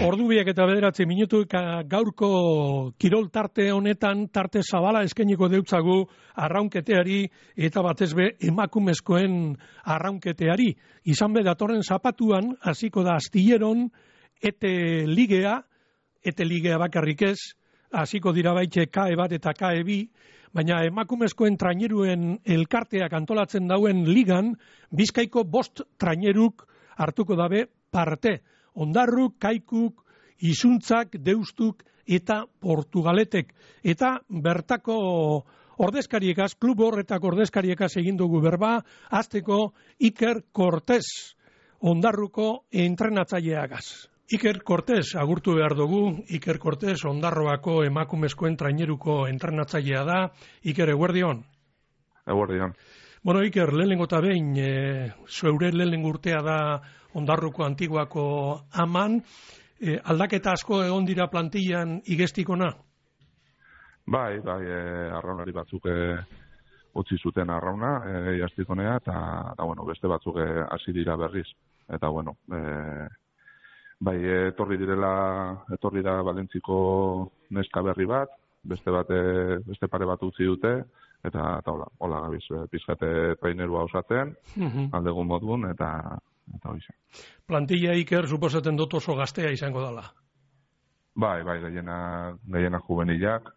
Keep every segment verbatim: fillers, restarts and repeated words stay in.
Ordu biak eta bederatzi minutu gaurko kirol tarte honetan tarte zabala eskainiko deutzagu arraunketeari eta batez be emakumezkoen arraunketeari. Izan be datorren zapatuan hasiko da Astilleron ete ligea, ete ligea bakarrik ez, hasiko dira baitxe K E bat eta K E bi, baina emakumezkoen traineruen elkarteak antolatzen dauen ligan, Bizkaiko bost traineruk hartuko dabe parte. Ondarruk, Kaikuk, Izuntzak, Deustuk eta Portugaletek. Eta bertako ordezkariekaz, klub horretako ordezkariekaz egin dugu berba, hasteko Iker Cortés, Ondarruko entrenatzaileagaz. Iker Cortés, agurtu behar dugu, Iker Cortés, Ondarroako emakumezkoen traineruko entrenatzailea da. Iker, eguerdion? Eguerdion. Bueno, Iker, lehenengo eta behin, e, zeure lehenengo urtea da Ondarruko Antiguako aman, e, aldaketa asko egon dira plantillan igestikona? Bai, bai, e, arraunari batzuk e, utzi zuten arrauna, e, jastikonea, eta, eta bueno, beste batzuk hasi dira berriz. Eta, bueno, e, bai, etorri direla, etorri da Valentziko neska berri bat, beste bate, beste pare bat utzi dute, eta, eta hola, hola gabiz, pizkate trainerua osatzen, uh-huh. aldegun modun, eta eta hoize. Plantilla Iker suposatzen dut oso gaztea izango dela. Bai, bai, gehiena, gehiena juvenilak,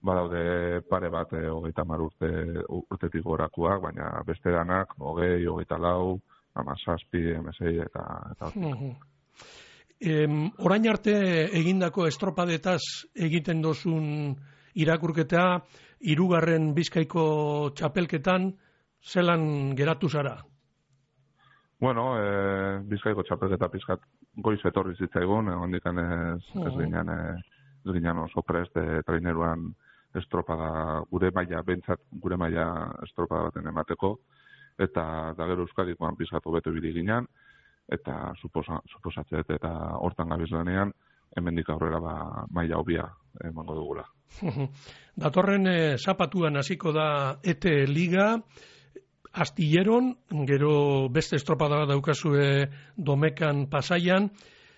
badaude pare bat e, hogeita hamar urte urtetik gorakoak, baina beste danak, hogei, hogeita lau, hamazazpi, emesei eta eta uh-huh. em, orain arte egindako estropadetaz egiten dozun irakurketa, hirugarren Bizkaiko txapelketan, zelan geratu zara? Bueno, e, Bizkaiko txapelketa pizkat goiz etorri zitzaigun, hondikan ez, ez ginen, ez ginen oso prest e, traineruan estropada, gure maila, bentsat gure maila estropada baten emateko, eta da gero Euskadikoan pizkat hobeto ibili ginen, eta suposa, suposatzet eta hortan gabiz lanean, hemendik aurrera ba, maila hobia emango dugula. Datorren e, zapatuan hasiko da ete liga, Astilleron, gero beste estropada daukazue Domekan Pasaian,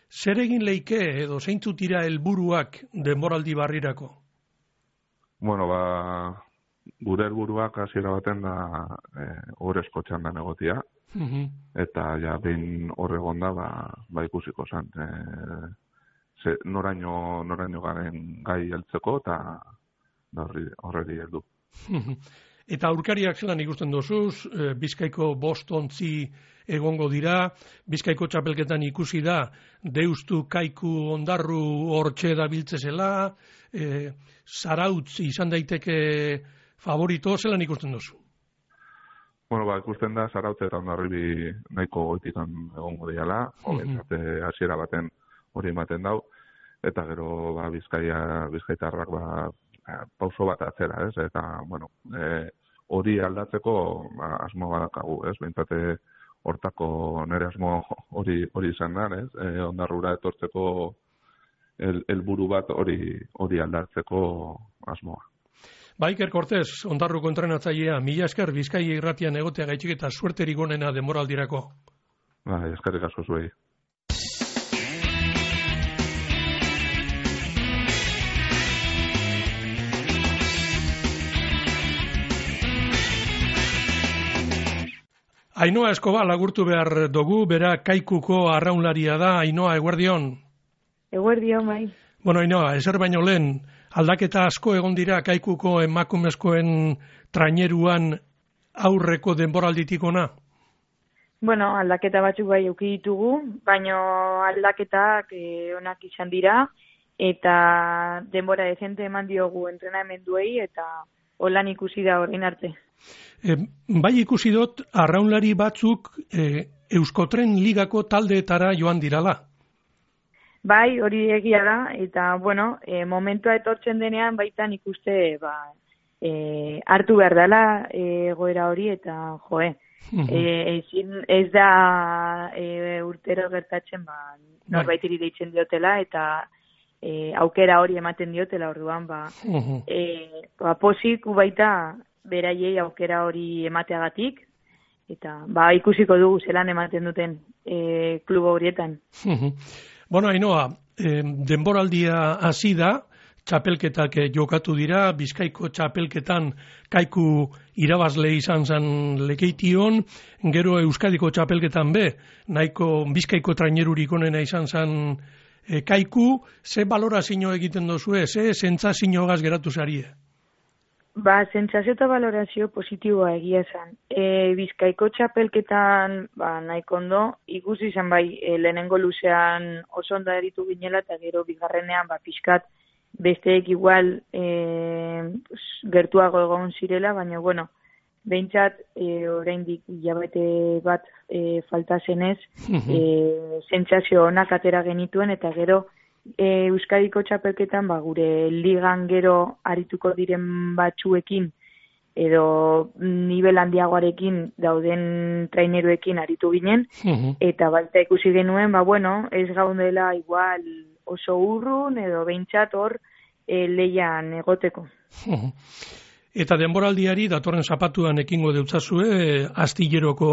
zer egin leike edo zeintzuk dira helburuak denboraldi barrirako? Bueno, ba, gure helburuak hasiera baten da e, orezko txandan egotia, uh-huh. eta ja behin horregon da, ba, ba ikusiko zen, e, ze, noraino, noraino garen gai heltzeko, eta horreri heldu. Eta aurkariak zelan ikusten dozuz, e, Bizkaiko bost ontzi egongo dira, Bizkaiko txapelketan ikusi da, Deustu, Kaiku, Ondarru hortxe da biltzezela, e, Zarautz izan daiteke favorito, zelan ikusten dozu? Bueno, ba, ikusten da, Zarautz eta Ondarribi nahiko goitikan egongo diala, hobentzate uh-huh. hasiera baten hori ematen dau, eta gero ba, Bizkaia, Bizkaitarrak ba, pauso bat atzera, ez? Eta, bueno, e, hori aldatzeko ba, asmo badakagu, ez? Behintzate hortako nire asmo hori hori izan da, ez? E, Ondarrura etortzeko helburu bat hori hori aldatzeko asmoa. Ba, Iker Cortés, Ondarruko entrenatzailea, mila esker Bizkaia irratian egotea gaitxik eta suerterik onena denboraldirako. Ba, eskerrik asko zuei. Ainhoa Escobar agurtu behar dugu, bera Kaikuko arraunlaria da. Ainhoa, eguerdion? Eguerdion, bai. Bueno, Ainhoa, ezer baino lehen, aldaketa asko egon dira Kaikuko emakumezkoen traineruan aurreko denboralditik ona? Bueno, aldaketa batzuk bai eduki ditugu, baino aldaketak eh, onak izan dira, eta denbora dezente eman diogu entrenamenduei, eta holan ikusi da orain arte. E, bai ikusi dut, arraunlari batzuk e, Euskotren ligako taldeetara joan dirala. Bai, hori egia da, eta, bueno, e, momentua etortzen denean baitan ikuste, ba, e, hartu behar dela e, goera hori, eta, joe, e, ezin, ez da e, urtero gertatzen, ba, norbaitiri deitzen diotela, eta e, aukera hori ematen diotela orduan, ba, e, ba posik baita beraiei aukera hori emateagatik, eta ba ikusiko dugu zelan ematen duten e, klubo horietan. Bueno, Ainhoa, eh, denboraldia hasi da, txapelketak jokatu dira, Bizkaiko txapelketan Kaiku irabazle izan zen lekeition, gero Euskadiko txapelketan be, nahiko Bizkaiko trainerurik onena izan zen e, Kaiku, ze balorazio egiten dozue, ze sentsazio gaz geratu zarie? Ba, sentsazio eta balorazio positiboa egia esan. E, Bizkaiko txapelketan ba, nahiko ondo, ikusi izan bai, e, lehenengo luzean oso ondo eritu ginela, eta gero bigarrenean ba, pixkat besteek igual e, gertuago egon zirela, baina, bueno, behintzat e, oraindik hilabete bat e, falta zenez, e, sentsazio onak atera genituen, eta gero e, Euskadiko txapelketan ba, gure ligan gero arituko diren batzuekin, edo nivel handiagoarekin dauden traineruekin aritu ginen, eta baita ikusi genuen, ba, bueno, ez gaudela igual oso urrun edo behintzat hor e, leian egoteko. Eta denboraldiari datorren zapatuan ekingo deutzazue, astilleroko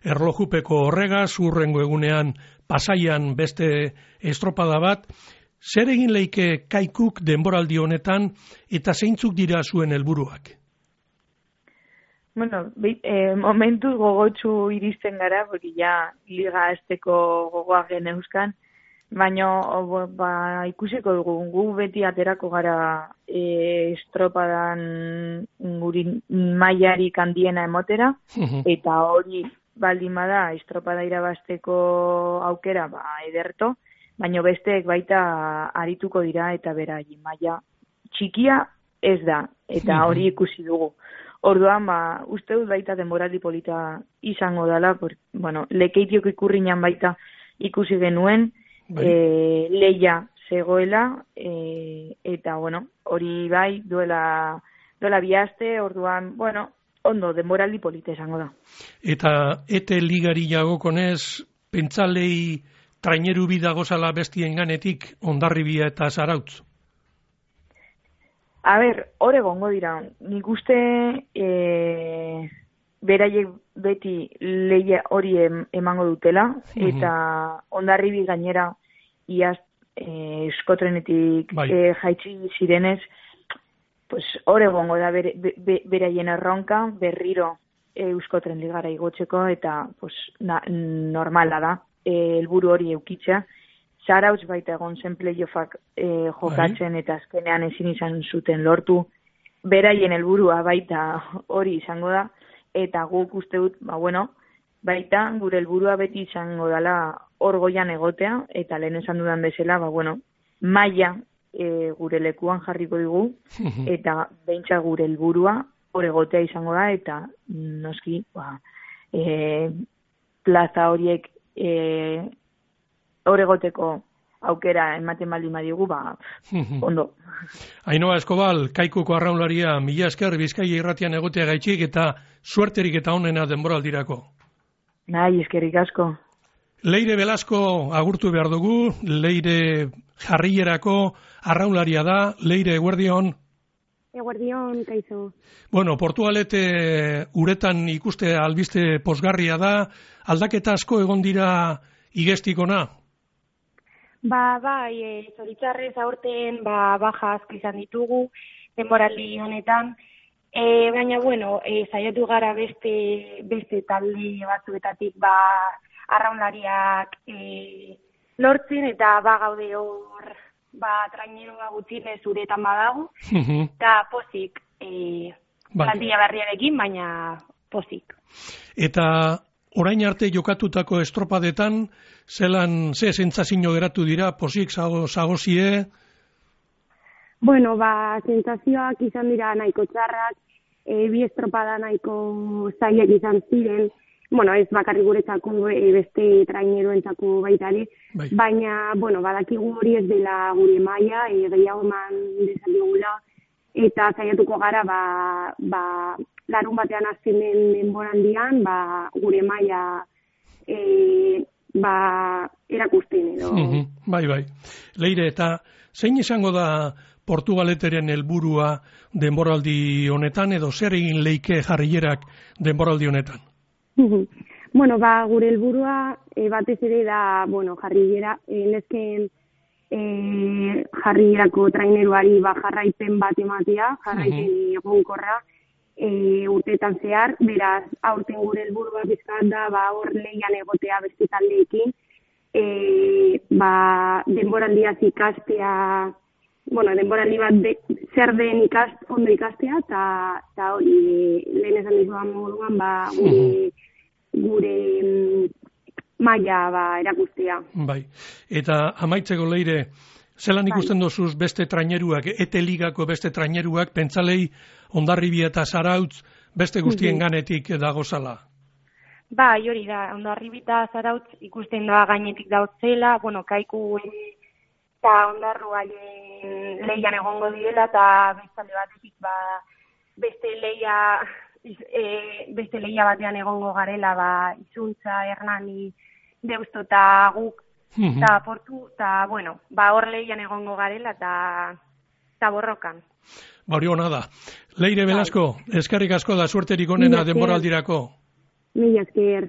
erlojupeko horregaz, urrengo egunean Pasaian beste estropada bat. Zer egin leike Kaikuk denboraldi honetan eta zeintzuk dira zuen helburuak? Bueno, e, momentu gogotsu iristen gara, porque ja liga azteko gogoa geneuzkan, baina ba, ikusiko dugu, gu beti aterako gara e, estropadan guri mailarik handiena emotera, eta hori baldin bada estropada irabazteko aukera ba, ederto, baina besteek baita arituko dira eta berai maila txikia ez da, eta hori ikusi dugu. Orduan, ba, uste dut baita denboraldi polita izango dela, por, bueno, lekeitiok ikurriñan baita ikusi genuen, e, leia zegoela, e, eta, bueno, hori bai duela, duela bihazte, orduan, bueno, ondo, denboraldi polita izango da. Eta ete ligari jagokonez, pentsalei traineru bidagozala bestien ganetik, Hondarribia eta Zarautz? A ber, hor egongo dira, nik uste e, beraiek beti leia hori em, emango dutela, mm-hmm. eta Hondarribi gainera iaz e, Euskotrenetik bai. e, jaitsi zirenez, pues hor egongo da bere, be, beraien erronka, berriro e, Euskotren ligara igotzeko, eta pues, na, normala da, e, helburu hori eukitzea. Zarautz baita egon zen playoffak e, jokatzen eta azkenean ezin izan zuten lortu. Beraien helburua baita hori izango da, eta guk uste dut, ba bueno, baita gure helburua beti izango dela hor goian egotea, eta lehen esan dudan bezala, ba bueno, maila e, gure lekuan jarriko dugu, eta beintza gure helburua hor egotea izango da, eta noski, ba, e, plaza horiek e, hor egoteko aukera ematen baldin badigu, ba, ondo. Ainhoa Eskobal, Kaikuko arraunlaria, mila esker Bizkaia irratian egotea gaitxik eta suerterik eta onena denboraldirako. Nahi, eskerrik asko. Leire Velasco agurtu behar dugu, Leire jarrierako arraunlaria da, Leire eguerdion. Eguerdion, kaizo. Bueno, Portugalete uretan ikuste albiste posgarria da, aldaketa asko egon dira igestikona? Ba, bai, e, zoritzarrez aurten ba, baja asko izan ditugu, denboraldi honetan, e, baina, bueno, e, saiatu gara beste, beste talde batzuetatik ba, arraunlariak e, lortzen, eta ba, gaude hor, ba, traineroa gutxinez uretan badago, eta pozik, e, plantilla berriarekin, baina pozik. Eta orain arte jokatutako estropadetan, zelan, ze sentsazio geratu dira, posik zagozie? Bueno, ba, sentsazioak izan dira nahiko txarrak, e, bi estropada nahiko zailak izan ziren, bueno, ez bakarrik guretzako e, beste traineroentzako baitare, bai. Baina, bueno, badakigu hori ez dela gure maila, e, gehiago eman dezakegula, eta saiatuko gara, ba, ba, larun batean azken den denboraldian, ba, gure maila e, ba, erakusten edo. Mm-hmm. Bai, bai. Leire, eta zein izango da Portugaleteren helburua denboraldi honetan, edo zer egin leike jarrierak denboraldi honetan? Bueno, ba, gure helburua e, batez ere da, bueno, jarriera, e, nesken e, jarrierako traineruari ba, jarraipen bat ematea, jarraipen uh-huh. egonkorra, e, urteetan zehar, beraz, aurten gure helburua bizkat da, ba, hor lehian egotea beste taldeekin, e, ba, denboraldiaz ikastea, bueno, denboraldi bat de, zer den ikast, ondo ikastea, eta hori, lehen esan dizuan moduan, ba, gure, uh-huh. gure maila ba, erakustea. Bai, eta amaitzeko Leire, zelan ikusten bai. Dozuz beste traineruak, ete ligako beste traineruak, pentsalei Hondarribia eta Zarautz beste guztien ganetik dagozala? Ba, hori da, Hondarribia eta Zarautz ikusten da gainetik dautzela, bueno, Kaiku eta Hondarruaien leian egongo direla, eta bestalde batetik ba, beste leia... E, beste lehia batean egongo garela, ba, Izuntza, Hernani, Deusto eta guk, eta uh-huh. Portu, eta, bueno, ba, hor lehian egongo garela, eta borrokan. Ba, hori hona da. Leire Velasco, eskerrik asko da suerterik onena denboraldirako. Mila esker.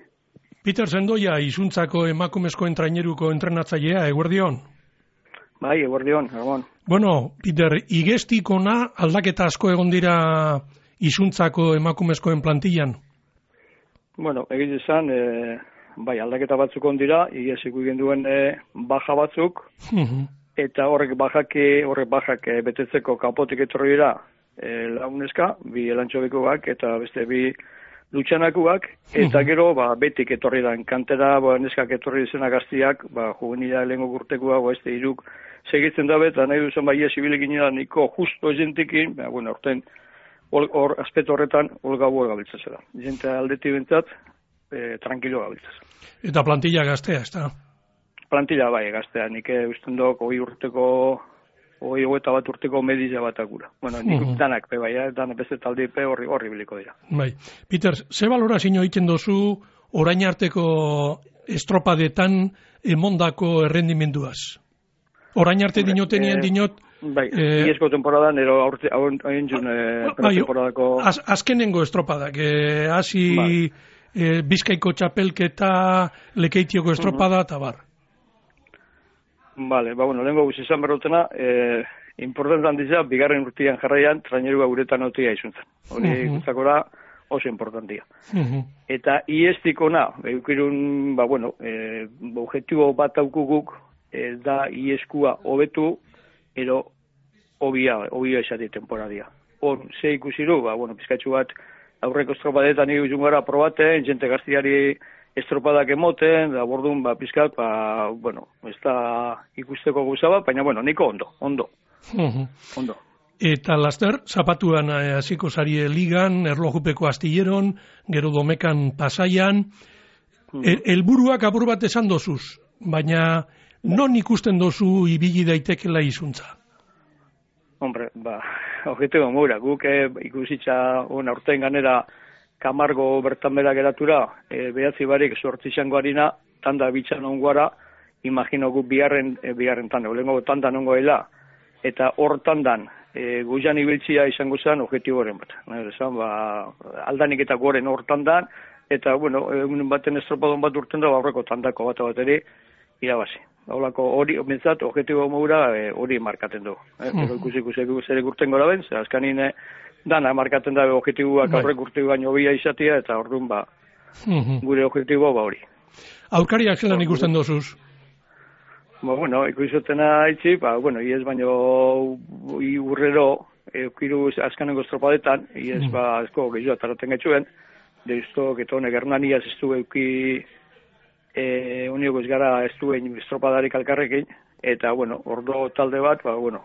Peter Sendoia, Izuntzako emakumezkoen traineruko entrenatzailea, eguerdion? Bai, eguerdion, egon. Bueno, Peter, igestikona aldaketa asko egon dira Izuntzako emakumezkoen plantillan? Bueno, egin izan, e, bai, aldaketa batzuk ondira, igesik egin duen e, baja batzuk, uh-huh. eta horrek bajak, horrek bajak e, betetzeko kapotik etorri dira e, launeska, bi elantxobikoak eta beste bi lutxanakuak, eta uh-huh. gero, ba, betik etorri da, kantera, ba, neskak etorri izena gaztiak, ba, juvenila lehenko gurtekua, ba, este iruk segitzen dabe, eta nahi duzen, ba, ies ibilik ginela niko justo ezentekin, ba, bueno, orten, hor, aspet horretan, holga buel gabiltzazela. Jente aldeti bentzat, e, tranquilo gabiltzaz. Eta plantilla gaztea, ez da? Plantilla bai, gaztea. Nik usten dok, hoi urteko, hoi hogeita bat urteko mediza bat agura. Bueno, nik uh-huh. danak, pe bai, danak beste taldi pe horri, horri biliko dira. Bai. Peter, ze valorazio egiten dozu orain arteko estropadetan emondako errendimenduaz? Orain arte dinotenien dinot, bai, eh, iezko temporadan, ero hain jun eh, bai, temporadako... Az, azkenengo estropadak, eh, hasi bai. eh, Bizkaiko txapelketa, Lekeitioko estropada, eta uh-huh. bar. Vale, ba, bueno, lehenko guzti izan berrotena, eh, importantan dizia, bigarren urtean jarraian, trainerua guretan otia izuntzen. Hori uh-huh. guztakora oso importantia. Uh-huh. Eta iestikona, eukirun, ba, bueno, eh, objektibo bat aukuguk, eh, da ieskua hobetu, ero obia, obia esati temporadia. Hor, ze ikusiru, ba, bueno, pizkatxu bat, aurreko estropadetan nire uzun gara probaten, jente gaztiari estropadak emoten, da bordun, ba, pizkat, ba, bueno, ez da ikusteko gauza bat, baina, bueno, niko ondo, ondo, uh-huh. ondo. Eta laster, zapatuan hasiko eh, zarie ligan, erlojupeko astilleron, gero domekan pasaian, uh-huh. helburuak apur bat esan dozuz, baina non ikusten dozu ibili daitekela Izuntza? Hombre, ba, objetibo mura, guk eh, ikusitza on aurten ganera Kamargo bertan bera geratura, eh, behatzi barik sortzi izango harina, tanda bitxan ongoara, imagino guk bigarren, eh, bigarren tanda, olengo tandan ongoela, eta hor tandan, eh, guian ibiltzia izango zen objetiboren bat. Esan, ba, aldanik eta goren hor tandan, eta, bueno, egun baten estropadon bat urten da, aurreko tandako bat bateri, irabazi. Haulako hori, bintzat, objetibo mogura hori e, markaten du. Eh? Uh-huh. Pero ikusi ikusi zer urten gora ben, ze azkanin e, dana markaten da objetiboak aurrek urtegu baino bia izatea, eta orduan ba, uh-huh. gure objetibo ba hori. Aurkariak zelan ikusten dozuz? Ba, bueno, ikusotena itzi, ba, bueno, iez baino urrero, eukiru azkanengo estropadetan, iez uh-huh. ba, ezko gehiago ataraten getxuen, deizto, geto honek Hernania ez du euki E, unioko ez gara ez duen estropadarik alkarrekin, eta, bueno, ordo talde bat, ba, bueno,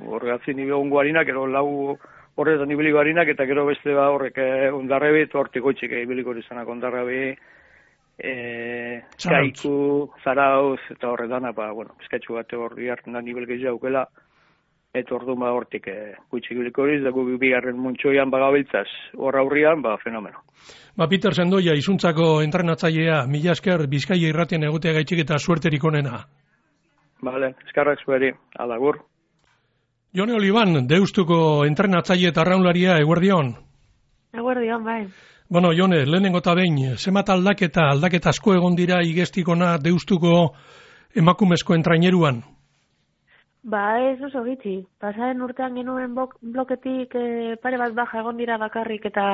horregatzen nire ongo harinak, ero lau horretan ibiliko harinak, eta gero beste ba horrek eh, ondarrebi, eta hortik goitxik ibiliko izanak ondarrebi, eh, Kaiku, Zarauz, eta horretana, ba, bueno, bizkatxu bat horri hartzen da nivel gehiago aukela, eta ordu ba hortik eh, goitxik ibiliko horiz, da gu bigarren muntxoian bagabiltzaz, horra aurrian, ba, fenomeno. Ba, Peter Sendoia, Izuntzako entrenatzailea, mila esker Bizkaia irratien egotea gaitxik eta suerterik onena. Bale, eskarrak zueri, alagur. Jone Oliban, Deustuko entrenatzaile eta arraunlaria, eguerdion. Eguerdion, bai. Bueno, Jone, lehenengo eta behin, zemat aldaketa, aldaketa asko egon dira igestikona deustuko emakumezkoen traineruan? Ba, ez oso gitxi. Pasaren urtean genuen bloketik eh, pare bat baja egon dira bakarrik eta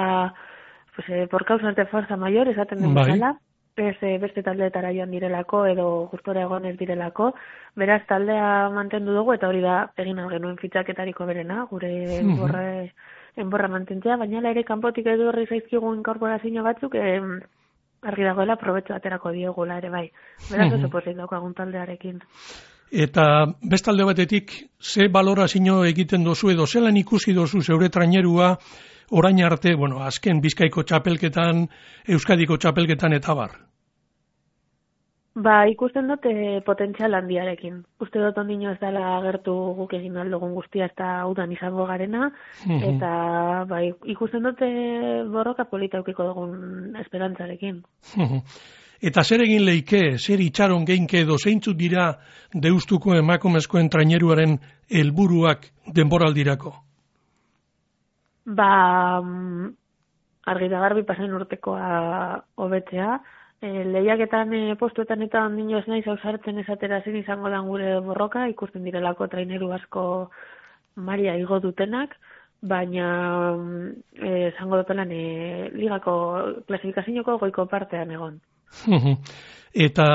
pues, eh, por causas de fuerza mayor, esaten den bezala. Ez eh, beste taldeetara joan direlako edo gustora egon ez direlako. Beraz, taldea mantendu dugu eta hori da egin genuen fitxaketariko berena, gure mm -hmm. borre... enborra mantentzea, baina ere kanpotik edo horri zaizkigu inkorporazio batzuk eh, argi dagoela probetxo aterako diogula ere bai. Beraz oso pozik daukagun taldearekin. Eta bestalde batetik, ze balorazio egiten dozu edo zelan ikusi dozu zeure trainerua orain arte, bueno, azken Bizkaiko txapelketan, Euskadiko txapelketan eta bar? Ba, ikusten dute potentzial handiarekin. Uste dut ondino ez dela agertu guk egin aldugun guztia eta udan izango garena, mm-hmm. eta ba, ikusten dute borroka polita eukiko dugun esperantzarekin. Mm-hmm. Eta zer egin leike, zer itxaron geinke edo zeintzuk dira deustuko emakumezkoen traineruaren helburuak denboraldirako? Ba, argi da garbi pasen urtekoa hobetzea, E, lehiaketan e, postuetan eta ondino ez naiz ausartzen esatera zin izango dan gure borroka, ikusten direlako traineru asko maria igo dutenak, baina izango e, dutelan e, ligako klasifikazioko goiko partean egon. Eta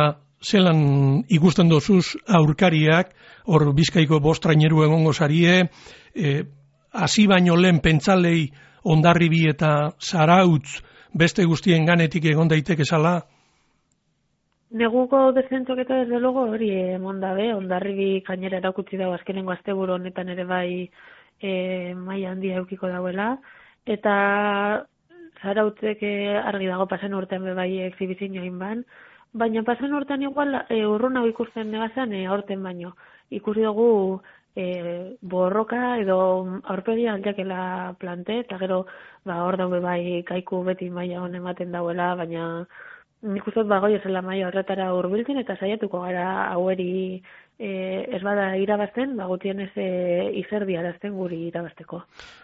zelan ikusten dozuz aurkariak, hor Bizkaiko bost traineru egongo zarie, e, hasi baino lehen pentsalei Hondarribi eta Zarautz beste guztien ganetik egon daiteke zala? Neguko dezentzok eta desde logo hori emon dabe, Hondarribi gainera erakutsi dago azkenengo asteburu honetan ere bai e, maila handia eukiko dauela, eta Zarautzek e, argi dago pasen urtean be bai exhibizioin ban, baina pasen urtean igual e, urrun hau ikusten negazan e, aurten baino. Ikusi dugu e, borroka edo aurpegia aldiakela plante, eta gero ba, hor daube bai kaiku beti maila hon ematen dauela, baina nik uste dut bagoi esela maila horretara hurbiltzen eta saiatuko gara haueri e, ez bada irabazten, bagutien ez e, izerdi arazten guri irabazteko.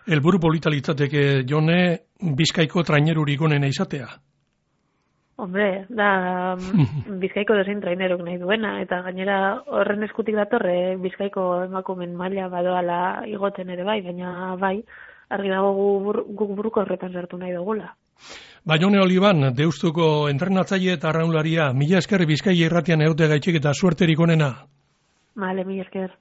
Helburu polita litzateke, Jone, Bizkaiko trainerurik onena izatea? Hombre, da Bizkaiko dezein traineruk nahi duena, eta gainera horren eskutik datorre Bizkaiko emakumen maila badoala igoten ere bai, baina bai, argi dago guk bur, buruko horretan sartu nahi dugula. Ba, Jone Oliban, Deustuko entrenatzaile eta arraunlaria, mila esker Bizkaia irratian egote gaitxik eta suerterik onena. Vale, mila esker.